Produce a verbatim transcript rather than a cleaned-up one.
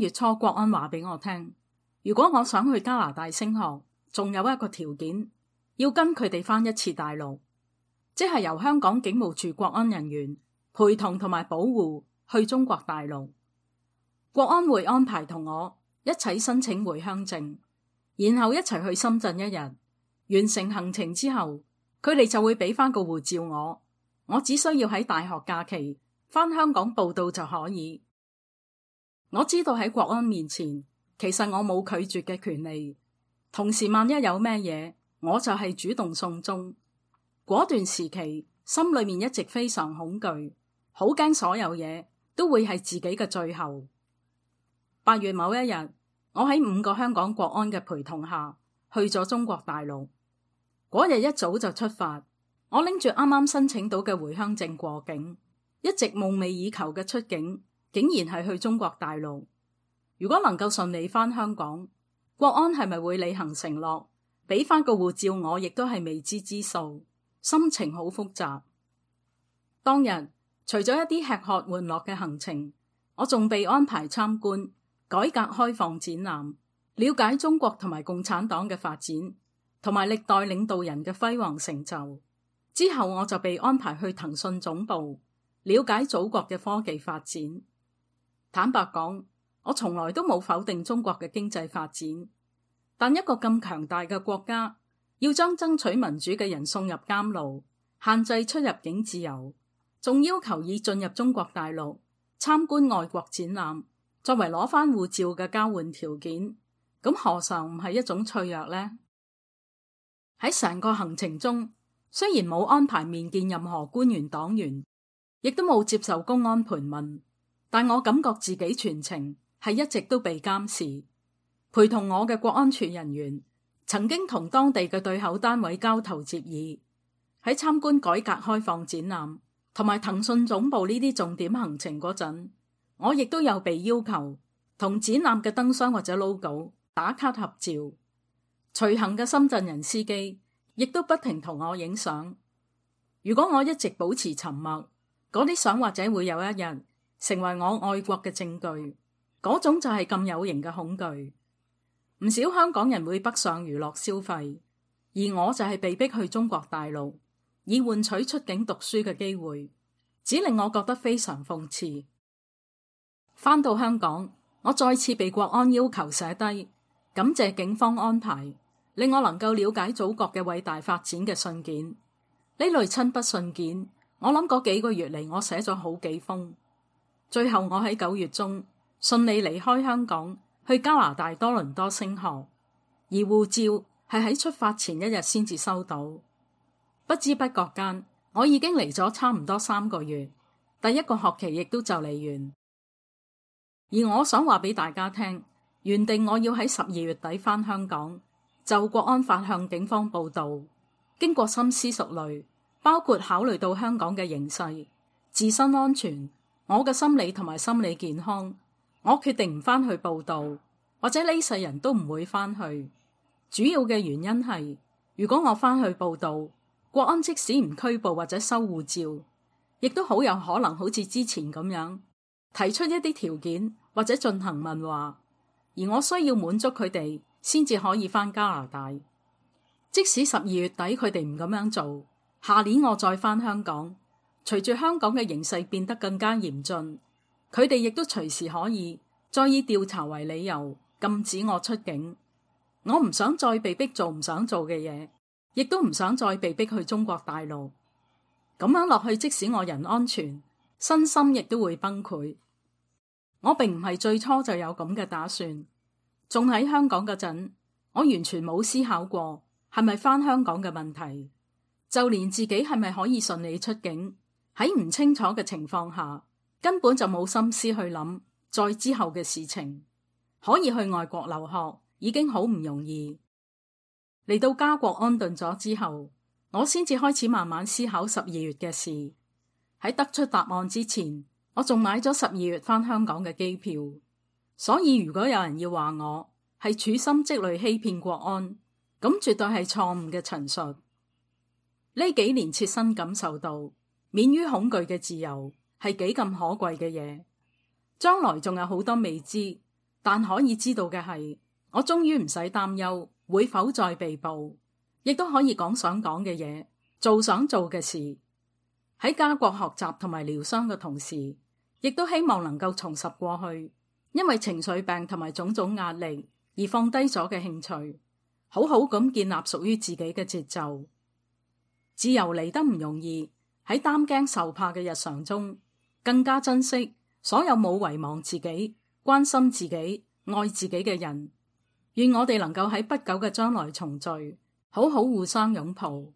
月初國安話俾我聽，如果我想去加拿大升學，仲有一個條件，要跟佢哋返一次大陸，即係由香港警務處國安人員陪同同埋保護去中國大陸。國安會安排同我一齊申請回鄉證，然後一齊去深圳一日。完成行程之後，佢哋就會俾翻個護照我，我只需要喺大學假期返香港報到就可以。我知道喺國安面前，其實我冇拒絕嘅權利，同時萬一有咩嘢，我就係主動送中。嗰段時期，心裏面一直非常恐懼，好驚所有嘢都會係自己嘅最後。八月某一日，我喺五個香港國安嘅陪同下，去咗中國大陸。嗰日一早就出發，我拎住啱啱申請到嘅回鄉證過境，一直夢寐以求嘅出境，竟然係去中國大陸。如果能夠順利返香港，國安係咪會履行承諾，俾翻個護照我，亦都係未知之數，心情好複雜。當日除咗一啲吃喝玩樂嘅行程，我仲被安排參觀改革開放展覽，了解中國同埋共產黨嘅發展，同埋歷代領導人嘅輝煌成就。之後我就被安排去騰訊總部，了解祖國嘅科技發展。坦白講，我從來都冇否定中國嘅經濟發展，但一個咁強大嘅國家，要將爭取民主嘅人送入監牢，限制出入境自由，仲要求以進入中國大陸參觀外國展覽作為攞返護照嘅交換條件，咁何嘗唔係一種脆弱呢？喺成個行程中，雖然冇安排面見任何官員黨員，亦都冇接受公安盤問，但我感覺自己全程係一直都被監視。陪同我嘅國安處人員曾經同當地嘅對口單位交頭接耳，喺參觀改革開放展覽同埋騰訊總部呢啲重點行程嗰陣，我亦都有被要求同展覽嘅燈箱或者 logo 打卡合照。隨行嘅深圳人司機亦都不停同我影相。如果我一直保持沉默，嗰啲相或者會有一日成為我愛國嘅證據。嗰種就係咁有形嘅恐懼。唔少香港人會北上娛樂消費，而我就係被逼去中國大陸，以換取出境讀書嘅機會，只令我覺得非常諷刺。返到香港，我再次被國安要求寫低感謝警方安排，令我能夠了解祖國嘅偉大發展嘅信件。呢類親筆信件，我諗嗰幾個月嚟，我寫咗好幾封。最後我喺九月中順利離開香港，去加拿大多倫多升學，而護照係喺出發前一日先至收到。不知不覺間，我已經嚟咗差唔多三個月，第一個學期亦都就嚟完。而我想話俾大家聽，原定我要喺十二月底返香港，就國安法向警方報到。經過深思熟慮，包括考慮到香港嘅形勢、自身安全、我嘅心理同埋心理健康，我決定唔返去報到，或者呢世人都唔會返去。主要嘅原因係，如果我返去報到，國安即使唔拘捕或者收護照，亦都好有可能好似之前咁樣提出一啲條件或者進行問話，而我需要滿足佢哋先至可以返加拿大。即使十二月底佢哋唔咁樣做，下年我再返香港，隨住香港嘅形勢變得更加嚴峻，佢哋亦都隨時可以再以調查為理由禁止我出境。我唔想再被逼做唔想做嘅嘢，亦都唔想再被逼去中國大陸。咁樣落去，即使我人安全，身心亦都會崩潰。我並唔係最初就有咁嘅打算，仲喺香港嗰陣，我完全冇思考過係咪返香港嘅問題，就連自己係咪可以順利出境，喺唔清楚嘅情況下，根本就冇心思去諗再之後嘅事情。可以去外國留學已經好唔容易。嚟到家國安頓咗之後，我先至開始慢慢思考十二月嘅事。喺得出答案之前，我仲買咗十二月返香港嘅機票。所以如果有人要話我係處心積慮欺騙國安，咁絕對係錯誤嘅陳述。呢幾年切身感受到免於恐懼嘅自由係幾咁可貴嘅嘢，將來仲有好多未知，但可以知道嘅係，我終於唔使擔憂會否再被捕，亦都可以講想講嘅嘢，做想做嘅事。喺家國學習同埋療傷嘅同時，亦都希望能夠重拾過去因為情緒病同埋種種壓力而放低咗嘅興趣，好好咁建立屬於自己嘅節奏。自由嚟得唔容易，喺擔驚受怕嘅日常中，更加珍惜所有冇遺忘自己、關心自己、愛自己嘅人。願我哋能夠喺不久嘅將來重聚，好好互相擁抱。